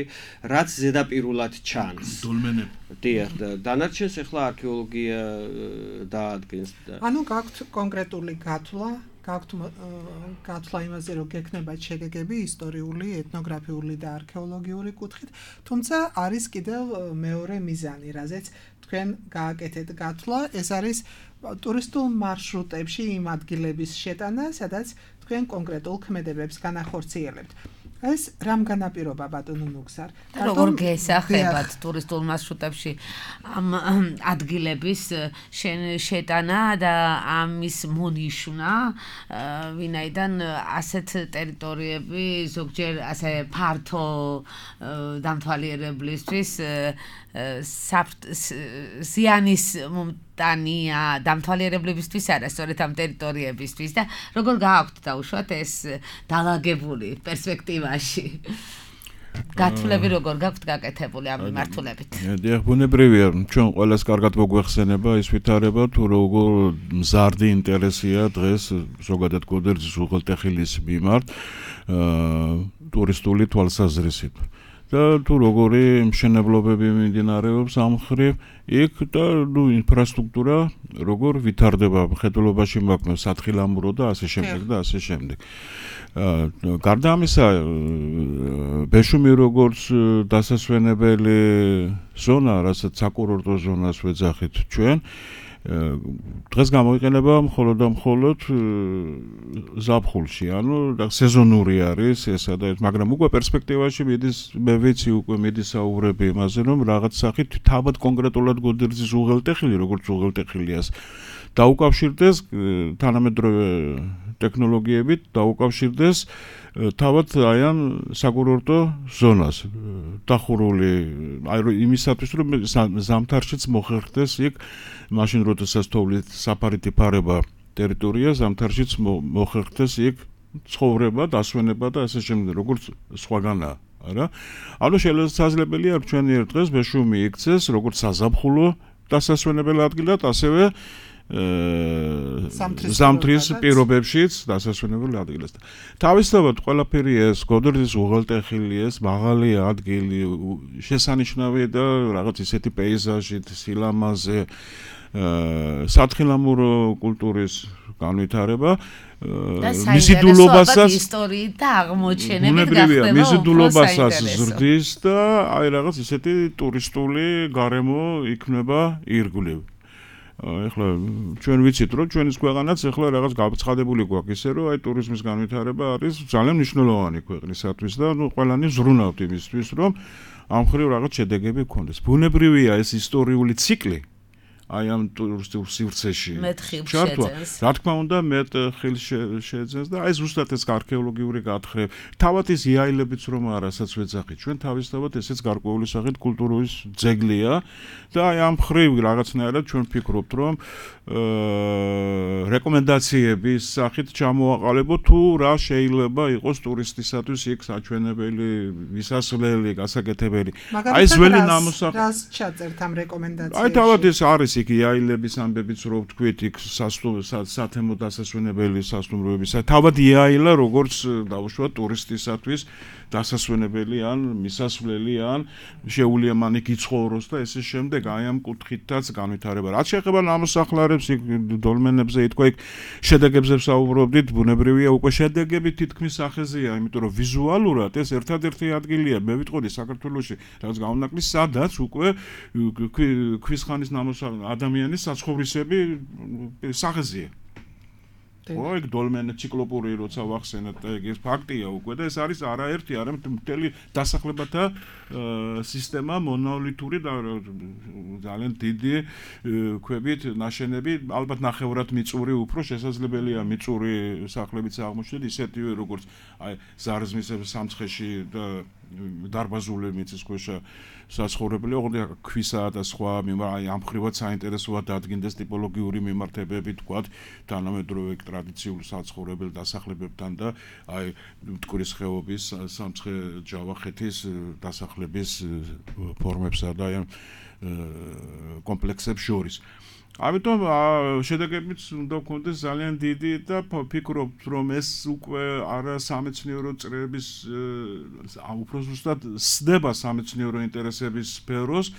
რაც ზედაპირულად ჩანს. დოლმენები. დიახ, და დანარჩენს ახლა არქეოლოგია დაადგენს. ანუ გაქვთ კონკრეტული გათვლა, გაქვთ გათვლა იმაზე, რომ გექნება შედეგები ისტორიული, ეთნოგრაფიული და არქეოლოგიური კუთხით, თუმცა არის კიდევ მეორე მიზანი, რაზეც თქვენ გააკეთეთ გათვლა, ეს არის ტურისტულ მარშრუტებში იმ ადგილების შეტანა, სადაც თქვენ კონკრეტულ ქმედებებს განახორციელებთ. ეს რამ განაპირობა ბატონო მუგზარ? როგორ გესახებათ ტურისტულ მარშრუტებში ამ ადგილების შეტანა და ამის მონიშნა, ვინაიდან ასეთ ტერიტორიები ზოგჯერ ასე ფართო დამთვალიერებლისთვის ზიანის მომტანია დამთვალიერებლებისთვის არა, სწორედ ამ ტერიტორიებისთვის და როგორ გააქვთ დაუშვათ ეს დალაგებული პერსპექტივაში. გათვლები როგორ გაქვთ გაკეთებული ამ მიმართულებით? დიახ, ბუნებრივია, ჩვენ ყველას კარგად მოგვეხსენება ის ვითარება, თუ როგორ მზარდი ინტერესია დღეს ზოგადად გოდერძის უღელტეხილის მიმართ ტურისტული თვალსაზრისით. და თუ როგორი მშენებლობები მიმდინარეობს ამ მხრივ, იქ და ნუ ინფრასტრუქტურა როგორ ვითარდება, მხედველობაში მაქვს სათხილამურო და ასე შემდეგ და ასე შემდეგ. გარდა ამისა, ბეშუმი როგორც დასასვენებელი ზონა, რასაც საკურორტო ზონას ვეძახით ჩვენ, დღეს გამოიყენება მხოლოდ და მხოლოდ ზაფხულში, ანუ სეზონური არის ესა და ეს, მაგრამ უკვე პერსპექტივაში მიდის, მე ვიცი უკვე მიდის საუბრები იმაზე, რომ რაღაც სახით თავად კონკრეტულად გოდერძის უღელტეხილი, როგორც უღელტეხილიას დაუკავშირდეს თანამედროვე ტექნოლოგიებით, დაუკავშირდეს თავად აი ამ საკურორტო ზონას დახურული, აი იმისათვის რომ ზამთარშიც მოხერხდეს იქ მაშინ როდესაც თოვლით საფარით იფარება ტერიტორია, ზამთარშიც მოხერხდეს იქ ცხოვრება, დასვენება და ასე შემდეგ, როგორც სხვაგანაა, არა? ანუ შესაძლებელია ჩვენი ერთ დღეს ბეშუმი იქცეს როგორც საზაფხულო დასასვენებელი ადგილად, ასევე ზამთრის პირობებშიც დასასვენებელი ადგილად. თავისთავად ყველაფერი ეს გოდერძის უღელტეხილი ეს მაღალი ადგილი, შესანიშნავი და რაღაც ისეთი პეიზაჟით, სილამაზე, სათხილამურო კულტურის განვითარება მისი დულობასაც ისტორიით და აღმოჩენებით გახდება მისი დულობასაც ზრდის და აი რაღაც ისეთი ტურისტული გარემო იქნება ირგვლივ. ეხლა ჩვენ ვიცით რომ ჩვენის ქვეყანაც ეხლა რაღაც გაცხადებული გვაქვს ისე რომ აი ტურიზმის განვითარება არის ძალიან მნიშვნელოვანი ქვეყნისათვის და ნუ ყველანი ზრუნავთ იმისთვის რომ ამ მხრივ რაღაც შედეგები გქონდეს. ბუნებრივია ეს ისტორიული ციკლი აი ამ ტურისტულ სივრცეში. ჩართვა. რა თქმა უნდა, მეტ ხილს შეეძენს და აი ზუსტად ეს არქეოლოგიური გათხრები. თავად ის იაილებიც რომ არასაც ვეძახით. ჩვენ თავისთავად ესეც გარკვეული სახით კულტურის ძეგლია და აი ამ მხრივ რაღაცნაირად ჩვენ ვფიქრობთ, რომ აა რეკომენდაციების სახით ჩამოაყალიბოთ თუ რა შეიძლება იყოს ტურისტისათვის იქ საჩვენებელი, ვისასვლელი, გასაკეთებელი. აი ძველი ნამოსახლარი. რას ჩაწერთ ამ რეკომენდაციებში? აი თავად ეს არის იქ იაილების ამბებიც რო ვთქვით იქ სათემო დასასვენებელი სასტუმროებისა. თავად იაილა როგორც დავუშვათ ტურისტისათვის დასასვენებელი ან მისასვლელი ან შეუძლია იქ იცხოვროს და ესე შემდეგ აი ამ კუთხითაც განვითარება. რაც შეეხება ნამოსახლარებს იქ დოლმენებზე ითქვა იქ შედეგებზე ვსაუბრობდით, ბუნებრივია უკვე შედეგები თითქმის სახეზეა, იმიტომ რომ ვიზუალურად ეს ერთადერთი ადგილია, მე ვიტყოდი საქართველოში, რაც გამონაკლისს, სადაც უკვე ქვის ხანის ნამოსახლარი ადამიანის საცხოვრისები სახეზეა. ხო, ეგ დოლმენი ციკლოპური როცა ვახსენეთ, ეგ ეს ფაქტია უკვე და ეს არის არაერთი, არამედ მთელი დასახლებათა სისტემა მონოლითური და ძალიან დიდი ქვებით ნაშენები, ალბათ ნახევრად მიწური უფრო შესაძლებელია მიწური სახლებიც აღმოჩნდეთ, ისეთივე როგორც აი ზარზმის სამცხეში და დარბაზული მიწისქვეშა საცხოვრებელი, ოღონდ ქვისა და სხვა აი ამ ხრივად საინტერესოა დადგინდეს ტიპოლოგიური მიმართებები, თქვათ, თანამედროვე ტრადიციული საცხოვრებელ დასახლებებთან და აი მტკვრის ხეობის სამცხე ჯავახეთის დასახლების ფორმებსა და აი კომპლექსებს შორის. ამიტომ შედეგებიც უნდა გქონდეს ძალიან დიდი და ვფიქრობთ, რომ ეს უკვე არა სამეცნიერო წრეების უფრო ზუსტად სდება სამეცნიერო ინტერესების სფეროს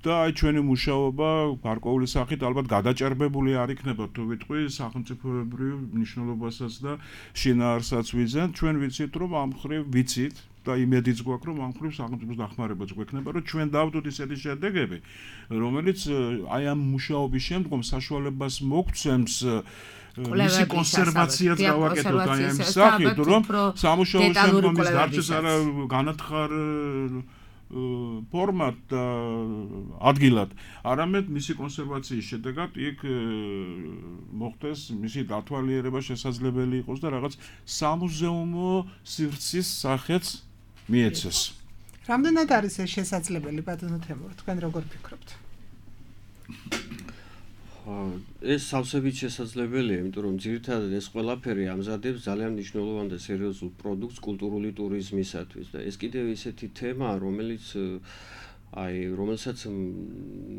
და აი ჩვენი მუშაობა გარკვეული სახით ალბათ გადაჭარბებული არ იქნება თუ ვიტყვი სახელმწიფოებრივ მნიშვნელობასაც და შინაარსაც ვიძენთ. ჩვენ ვიცით რომ ამ მხრივ ვიცით და იმედიც გვაქვს რომ ამ მხრივ სახელმწიფოს დახმარებაც გვექნება რომ ჩვენ დავდოთ ისეთი შედეგები რომელიც აი ამ მუშაობის შემდგომ საშუალებას მოგცემს მისი კონსერვაციაც გავაკეთოთ აი ამ სახით რომ სამუშაო შემდგომ ის დარჩეს არა განათხარ ფორმატ და ადგილად, არამედ მისი კონსერვაციის შედეგად იქ მოხდეს მისი დათვალიერება შესაძლებელი იყოს და რაღაც სამუზეუმო სივრცის სახეც მიეცეს. რამდენად არის ეს შესაძლებელი, ბატონო თემურ, თქვენ როგორ ფიქრობთ? ეს სავსებით შესაძლებელია, იმიტომ რომ ძირითადად ეს ყველაფერი ამზადებს ძალიან მნიშვნელოვან და სერიოზულ პროდუქტს კულტურული ტურიზმისათვის და ეს კიდევ ისეთი თემაა, რომელიც აი რომელსაც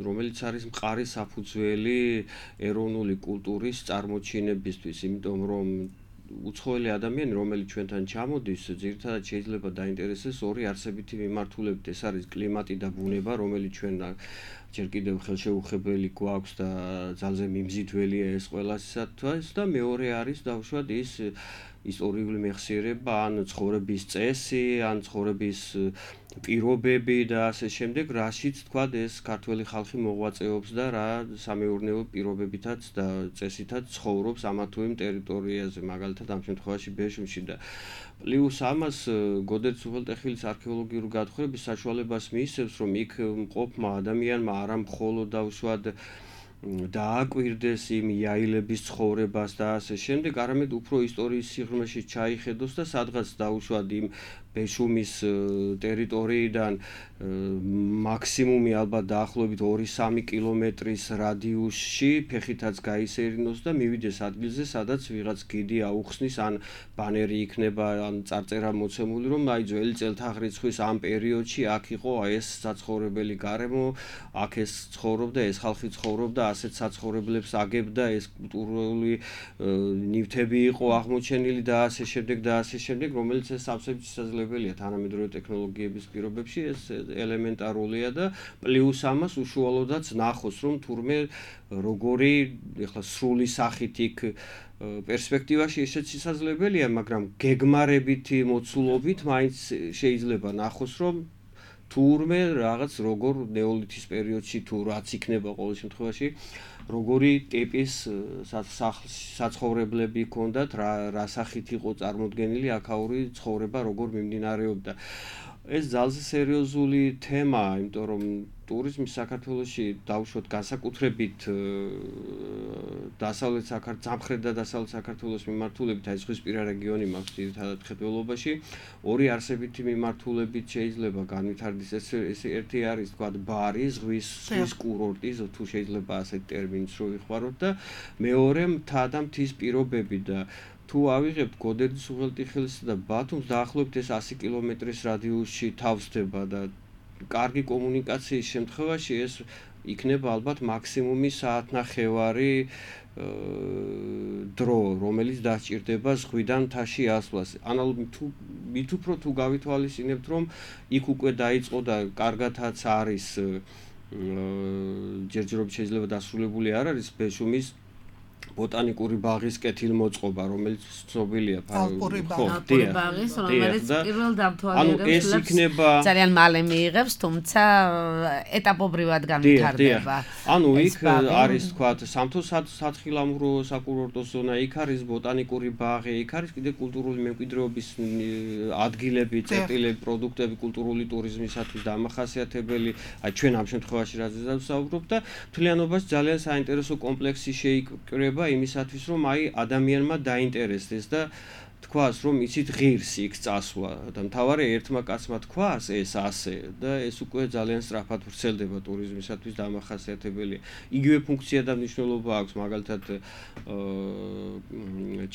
რომელიც არის მყარი საფუძველი ეროვნული კულტურის წარმოჩინებისთვის, იმიტომ რომ უცხოელი ადამიანი, რომელიც ჩვენთან ჩამოდის, ძირითადად შეიძლება დაინტერესდეს ორი არსებითი მიმართულებით. ეს არის კლიმატი და ბუნება, რომელიც ჩვენ ჯერ კიდევ ხელშეუხებელი გვაქვს და ძალზე მიმზიდველია ეს ყველასათვის და მეორე არის დავუშვათ ის ისტორიული მეხსიერება, ან ცხოვრების წესი, ან ცხოვრების პირობები და ასე შემდეგ, რაშიც თქვა ეს ქართველი ხალხი მოღვაწეობს და რა სამეურნეო პირობებითაც და წესითაც ცხოვრობს ამა თუ იმ ტერიტორიაზე, მაგალითად ამ შემთხვევაში ბეშუმში და პლუს ამას გოდერძ უღელტეხილის არქეოლოგიური გათხრების საშუალებას მიისცემს, რომ იქ მყოფმა ადამიანმა არა მხოლოდ დავუშვათ დააკვირდეს იმ იაილების ცხოვრებას და ასე შემდეგ, არამედ უფრო ისტორიის სიღრმეში ჩაიხედოს და სადღაც დაუშვათ იმ ბეშუმის ტერიტორიიდან მაქსიმუმი ალბათ დაახლოებით ორი სამი კილომეტრის რადიუსში ფეხითაც გაისერინოს და მივიდეს ადგილზე, სადაც ვიღაც გიდი აუხსნის ან ბანერი იქნება ან წარწერა მოცემული, რომ აი ძველი წელთაღრიცხვის ამ პერიოდში აქ იყო ეს საცხოვრებელი გარემო, აქ ეს ცხოვრობდა, ეს ხალხი ცხოვრობდა, ასეთ საცხოვრებლებს აგებდა, ეს კულტურული ნივთები იყო აღმოჩენილი და ასე შემდეგ და ასე შემდეგ, რომელიც ეს სავსებით შესაძლებელი შესაძლებელია თანამედროვე ტექნოლოგიების პირობებში, ეს ელემენტარულია და პლუს ამას უშუალოდაც ნახოს, რომ თურმე როგორი ეხლა სრული სახით იქ პერსპექტივაში ესეც შესაძლებელია, მაგრამ გეგმარებითი მოცულობით მაინც შეიძლება ნახოს, რომ თურმე რაღაც როგორ ნეოლითის პერიოდში თუ რაც იქნება ყოველ შემთხვევაში როგორი ტიპის საცხოვრებლები ჰქონდათ, რა რა სახით იყო წარმოდგენილი აქაური ცხოვრება, როგორ მიმდინარეობდა. ეს ძალზე სერიოზული თემაა, იმიტომ რომ ტურიზმი საქართველოში დავუშვოთ განსაკუთრებით დასავლეთ საქართველოს, სამხრეთ და დასავლეთ საქართველოს მიმართულებით, აი ზღვისპირა რეგიონი მაქვს ძირითადად მხედველობაში, ორი არსებითი მიმართულებით შეიძლება განვითარდეს. ეს ერთი არის, თქვა, ბარი, ზღვის ზღვის კურორტი, თუ შეიძლება ასეთ ტერმინს რო ვიხმაროთ და მეორე მთა და მთის პირობები და თუ ავიღებთ გოდერძის უღელტიხილისა და ბათუმს დაახლოებით ეს ასი კილომეტრის რადიუსში თავსდება და კარგი კომუნიკაციის შემთხვევაში ეს იქნება ალბათ მაქსიმუმი საათნახევარი დრო, რომელიც დასჭირდება ზღვიდან მთაში ასვლას. ანალოგიურად თუ მით უფრო თუ გავითვალისწინებთ, რომ იქ უკვე დაიწყო და კარგათაც არის ჯერჯერობით შეიძლება დასრულებული არ არის ბეშუმის ბოტანიკური ბაღის კეთილმოწყობა, რომელიც ცნობილია ალპური ბაღის, რომელიც პირველ დამთვალიერებს ძალიან მალე მიიღებს, თუმცა ეტაპობრივად განვითარდება. ანუ იქ არის, თქვა, სამთო-სათხილამურო საკურორტო ზონა, იქ არის ბოტანიკური ბაღი, იქ არის კიდე კულტურული მემკვიდრეობის ადგილები, წერტილები, პროდუქტები კულტურული ტურიზმისათვის დამახასიათებელი, აი ჩვენ ამ შემთხვევაში რაზეც ვსაუბრობთ და მთლიანობაში ძალიან საინტერესო კომპლექსი შეიკრება იმისათვის, რომ აი ადამიანმა დაინტერესდეს და თქვას, რომ იცით ღირსი იქ წასვლა და მთავარი ერთმა კაცმა თქვას ეს ასე და ეს უკვე ძალიან სწრაფად ვრცელდება ტურიზმისათვის დამახასიათებელია. იგივე ფუნქცია და მნიშვნელობა აქვს მაგალითად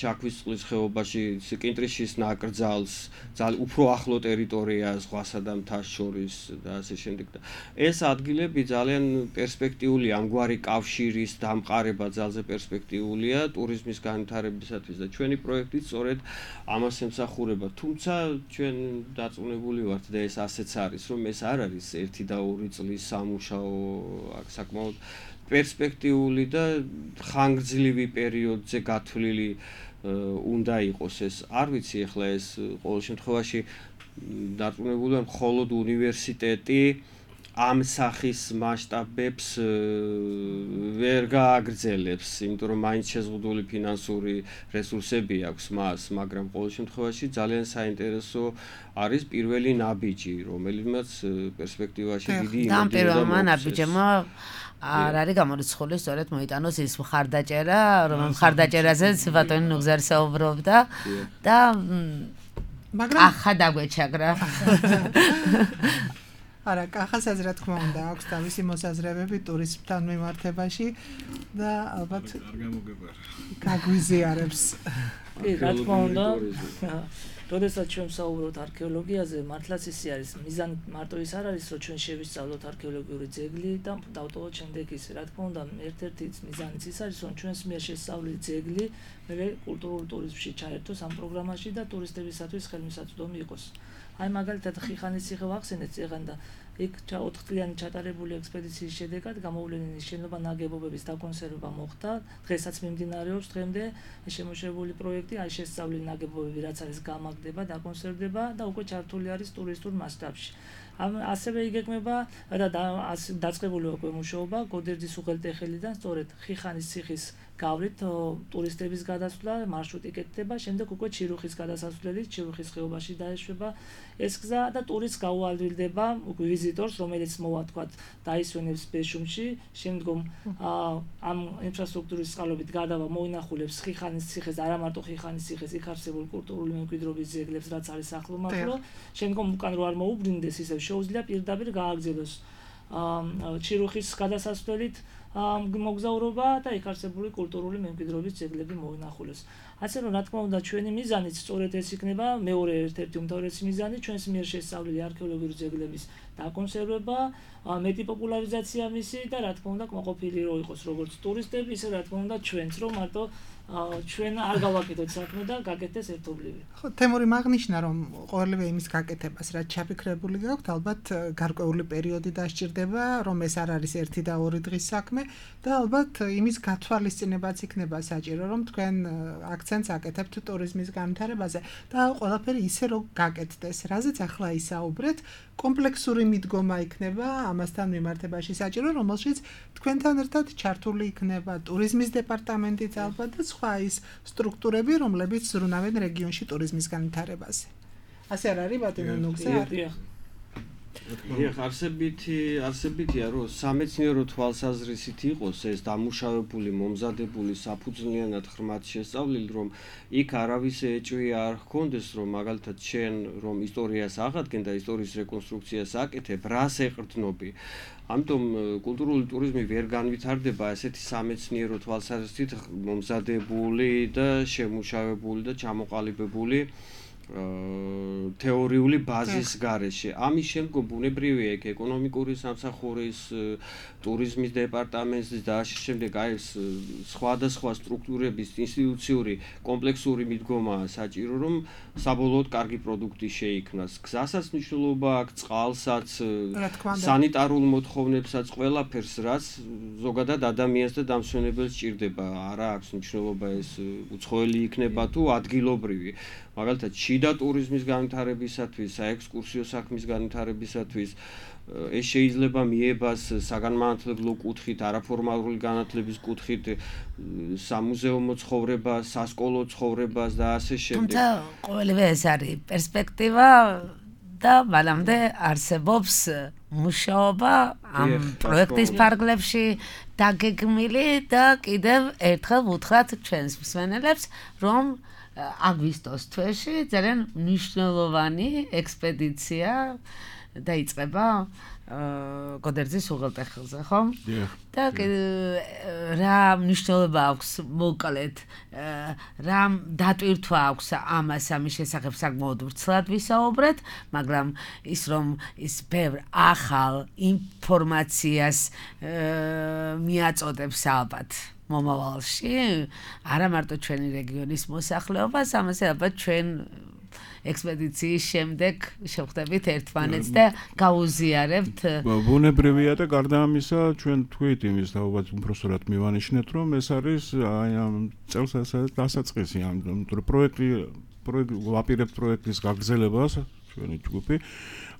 ჩაქვის წყლის ხეობაში კინტრიშის ნაკრძალს, ძალიან უფრო ახლო ტერიტორია ზღვასა და მთას შორის და ასე შემდეგ და ეს ადგილები ძალიან პერსპექტიული ამგვარი კავშირის დამყარება ძალზე პერსპექტიულია ტურიზმის განვითარებისათვის და ჩვენი პროექტი სწორედ ამას ემსახურება. თუმცა ჩვენ დარწმუნებული ვართ და ეს ასეც არის, რომ ეს არ არის ერთი და ორი წლის სამუშაო, აქ საკმაოდ პერსპექტიული და ხანგრძლივი პერიოდზე გათვლილი უნდა იყოს ეს. არ ვიცი ახლა ეს ყოველ შემთხვევაში დარწმუნებული ვარ, მხოლოდ უნივერსიტეტი ამ სახის მასშტაბებს ვერ გააგრძელებს, იმიტომ რომ მაინც შეზღუდული ფინანსური რესურსები აქვს მას, მაგრამ ყოველ შემთხვევაში ძალიან საინტერესო არის პირველი ნაბიჯი, რომელიმაც პერსპექტივაში დიდი იმედი და პირველმა ნაბიჯმა არ არის გამორიცხული, სწორედ მოიტანოს ის მხარდაჭერა, რომ მხარდაჭერაზეც ბატონი ნუგზარი საუბრობდა და მაგრამ ახლა დაგვეჩაგრა. არა, კახასაც რა თქმა უნდა აქვს თავისი მოსაზრებები ტურიზმთან მიმართებაში და ალბათ არ გამოგებარა. გაგვიზიარებს. კი, რა თქმა უნდა. როდესაც ჩვენ ვსაუბრობთ არქეოლოგიაზე, მართლაც ისე არის, მიზანი მარტო ის არ არის, რომ ჩვენ შევისწავლოთ არქეოლოგიური ძეგლი და დავტოვოთ შემდეგ ისე. რა თქმა უნდა, ერთ-ერთი მიზანიც ის არის, რომ ჩვენს მიერ შესწავლილი ძეგლი მე კულტურულ ტურიზმში ჩაერთოს ამ პროგრამაში და ტურისტებისათვის ხელმისაწვდომი იყოს. აი მაგალითად ხიხანის ციხე ვახსენეთ წეგან და იქ ოთხ წლიანი ჩატარებული ექსპედიციის შედეგად გამოვლენილი შენობა ნაგებობების დაკონსერვება მოხდა. დღესაც მიმდინარეობს დღემდე შემოშებული პროექტი, აი შესწავლილი ნაგებობები რაც არის გამაგდება, დაკონსერვდება და უკვე ჩართული არის ტურისტულ მასშტაბში. ამ ასევე იგეგმება და დაწყებული უკვე მუშაობა გოდერძის უღელტეხილიდან სწორედ ხიხანის ციხის გავლით ტურისტების გადასვლა, მარშრუტი კეთდება, შემდეგ უკვე ჩირუხის გადასასვლელი, ჩირუხის ხეობაში დაეშვება ეს გზა და ტურისტს გაუადვილდება ვიზიტორს, რომელიც მოვა თქვა დაისვენებს ბეშუმში, შემდგომ ამ ინფრასტრუქტურის წყალობით გადავა მოინახულებს ხიხანის ციხეს, არა მარტო ხიხანის ციხეს, იქ არსებულ კულტურული მემკვიდრეობის ძეგლებს, რაც არის ახლომახლო, შემდგომ უკან რო არ მოუბრინდეს, ისევ შეუძლია პირდაპირ გააგრძელოს ჩირუხის გადასასვლელით მოგზაურობა და იქ არსებული კულტურული მემკვიდრეობის ძეგლები მოინახულეს. ასე რომ რა თქმა უნდა ჩვენი მიზანიც სწორედ ეს იქნება, მეორე ერთ-ერთი უმთავრესი მიზანი ჩვენს მიერ შესწავლილი არქეოლოგიური ძეგლების დაკონსერვება, მეტი პოპულარიზაცია მისი და რა თქმა უნდა კმაყოფილი რო იყოს როგორც ტურისტები, ისე რა თქმა უნდა ჩვენც რომ მარტო ჩვენ არ გავაკეთოთ საქმე და გაკეთდეს ერთობლივი. ხო, თემური მაგნიშნა რომ ყოველივე იმის გაკეთებას რაც ჩაფიქრებული გაქვთ, ალბათ გარკვეული პერიოდი დასჭირდება, რომ ეს არ არის ერთი და ორი დღის საქმე და ალბათ იმის გათვალისწინებაც იქნება საჭირო, რომ თქვენ აქცენტს აკეთებთ ტურიზმის განვითარებაზე და ყველაფერი ისე რომ გაკეთდეს. რაზეც ახლა ისაუბრეთ, კომპლექსური მიდგომა იქნება ამასთან მიმართებაში საჭირო, რომელშიც თქვენთან ერთად ჩართული იქნება ტურიზმის დეპარტამენტიც ალბათ და სხვა ის სტრუქტურები, რომლებიც ზრუნავენ რეგიონში ტურიზმის განვითარებაზე. ასე არ არის ბატონო ნუგზა? დიახ, არსებითი არსებითია რომ სამეცნიერო თვალსაზრისით იყოს ეს დამუშავებული, მომზადებული, საფუძვლიანად ხმად შესწავლილი, რომ იქ არავის ეჭვი არ ჰქონდეს, რომ მაგალითად შენ რომ ისტორიას აღადგენ და ისტორიის რეკონსტრუქციას აკეთებ, რას ეყრდნობი. ამიტომ კულტურული ტურიზმი ვერ განვითარდება ესეთი სამეცნიერო თვალსაზრისით მომზადებული და შემუშავებული და ჩამოყალიბებული თეორიული ბაზის გარეშე. ამის შემდგომ ბუნებრივია იქ ეკონომიკური სამსახურის, ტურიზმის დეპარტამენტის და ასე შემდეგ აი ეს სხვადასხვა სტრუქტურების ინსტიტუციური კომპლექსური მიდგომაა საჭირო, რომ საბოლოოდ კარგი პროდუქტი შეიქმნას. გზასაც მნიშვნელობა აქვს, წყალსაც, სანიტარულ მოთხოვნებსაც, ყველაფერს, რაც ზოგადად ადამიანს და დამსვენებელს სჭირდება. არა აქვს მნიშვნელობა ეს უცხოელი იქნება თუ ადგილობრივი. მაგალითად, შიდა ტურიზმის განვითარებისათვის, საექსკურსიო საქმის განვითარებისათვის ეს შეიძლება მიებას საგანმანათლებლო კუთხით, არაფორმალური განათლების კუთხით, სამუზეუმო ცხოვრებას, სასკოლო ცხოვრებას და ასე შემდეგ. თუმცა ყოველივე ეს არის პერსპექტივა და მანამდე არსებობს მუშაობა ამ პროექტის ფარგლებში დაგეგმილი და კიდევ ერთხელ ვუთხრათ ჩვენს მსმენელებს, რომ აგვისტოს თვეში ძალიან მნიშვნელოვანი ექსპედიცია დაიწყება გოდერძის უღელტეხილზე, ხო? და რა მნიშვნელობა აქვს მოკლედ, რა დატვირთვა აქვს ამას ამის შესახებ საკმაოდ ვრცლად ვისაუბრეთ, მაგრამ ის რომ ის ბევრ ახალ ინფორმაციას მიაწოდებს ალბათ მომავალში, არა მარტო ჩვენი რეგიონის მოსახლეობას, ამაზე ალბათ ჩვენ ექსპედიციის შემდეგ შევხვდებით ერთმანეთს და გაუზიარებთ. ბუნებრივია და გარდა ამისა, ჩვენ თქვით იმის და ალბათ უბრალოდ მივანიშნეთ, რომ ეს არის აი ამ წელს დასაწყისი ამ პროექტი, პროექტი ვაპირებთ პროექტის გაგრძელებას, ჩვენი ჯგუფი.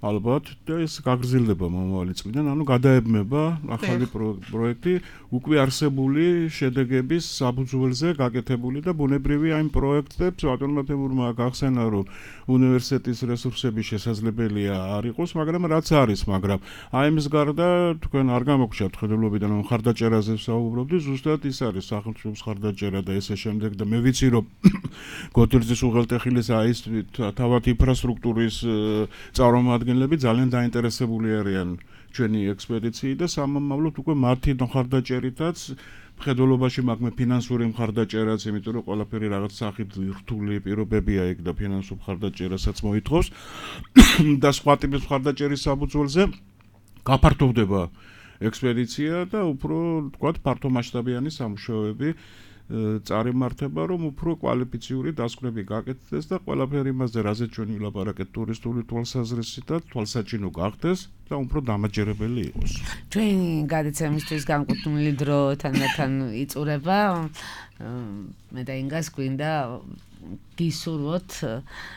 ალბათ და ეს გაგრძელდება მომავალი წლიდან, ანუ გადაებმება ახალი პროექტი უკვე არსებული შედეგების საფუძველზე გაკეთებული და ბუნებრივია იმ პროექტებს ბატონმა თემურმა გახსენა, რომ უნივერსიტეტის რესურსები შესაძლებელია არ იყოს, მაგრამ რაც არის, მაგრამ აი იმის გარდა თქვენ არ გამოგჩათ ხედულობიდან რომ ხარდაჭერაზე ვსაუბრობდი, ზუსტად ის არის სახელმწიფოს ხარდაჭერა და ესე შემდეგ და მე ვიცი რომ გოდერძის უღელტეხილის აი ეს თავად ინფრასტრუქტურის წარმომადგენლები ძალიან დაინტერესებული არიან ჩვენი ექსპედიციით და სამომავლოდ უკვე მათი მხარდაჭერითაც მხედველობაში მაქვს ფინანსური მხარდაჭერაც, იმიტომ რომ ყველაფერი რაღაც სახით რთული პირობებია იქ და ფინანსურ მხარდაჭერასაც მოითხოვს და სხვა ტიპის მხარდაჭერის საფუძველზე გაფართოვდება ექსპედიცია და უფრო თქვათ ფართომასშტაბიანი სამუშაოები წარიმართება, რომ უფრო კვალიფიციური დასკვნები გაკეთდეს და ყველაფერი იმაზე, რაზეც ჩვენ ვილაპარაკეთ ტურისტული თვალსაზრისით და თვალსაჩინო გახდეს და უფრო დამაჯერებელი იყოს. ჩვენ გადაცემისთვის განკუთვნილი დრო თანდათან იწურება. მე და ინგას გვინდა გისურვოთ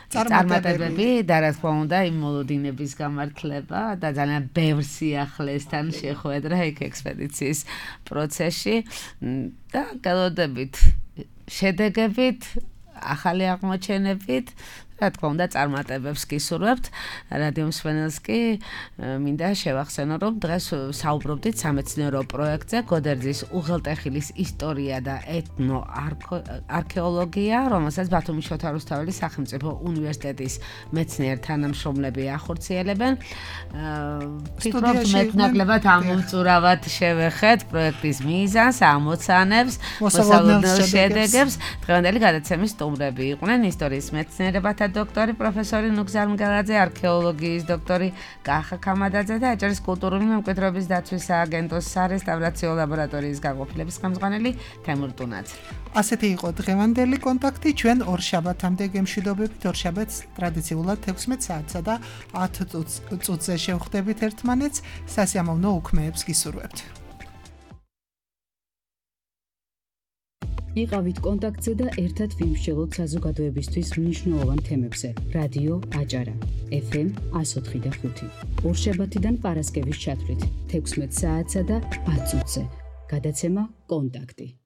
წარმატებები და რა თქმა უნდა იმ მოლოდინების გამართლება და ძალიან ბევრ სიახლესთან შეხვედრა იქ ექსპედიციის პროცესში და გელოდებით შედეგებით, ახალი აღმოჩენებით რა თქმა უნდა, წარმატებებს გისურვებთ. რადიო მსმენელს კი მინდა შევახსენო, რომ დღეს საუბრობდით სამეცნიერო პროექტზე გოდერძის უღელტეხილის ისტორია და ეთნოარქეოლოგია, რომელსაც ბათუმის შოთა რუსთაველის სახელმწიფო უნივერსიტეტის მეცნიერ თანამშრომლები ახორციელებენ. ვფიქრობ, მეტნაკლებად ამოვწურავად შევეხეთ პროექტის მიზანს, ამოცანებს, მოსალოდნელ შედეგებს. დღევანდელი გადაცემის სტუმრები იყვნენ ისტორიის მეცნიერებათა დოქტორი პროფესორი ნუგზარ მგელაძე, არქეოლოგიის დოქტორი კახა ქამადაძე და აჭარის კულტურული მემკვიდრეობის დაცვის სააგენტოს სარესტავრაციო ლაბორატორიის განყოფილების ხელმძღვანელი თემურ ტუნაძე. ასეთი იყო დღევანდელი კონტაქტი. ჩვენ ორშაბათამდე გემშვიდობებით. ორშაბათს ტრადიციულად თექვსმეტ საათსა და ათ წუთზე შევხვდებით ერთმანეთს. სასიამოვნო უქმეებს გისურვებთ. იყავით კონტაქტზე და ერთად ვიმსჯელოთ საზოგადოებისთვის მნიშვნელოვან თემებზე. რადიო აჭარა ეფ ემ εκατო ოთხი და ხუთი. ორშაბათიდან პარასკევის ჩათვლით თექვსმეტ საათსა და ათ წუთზე. გადაცემა კონტაქტი.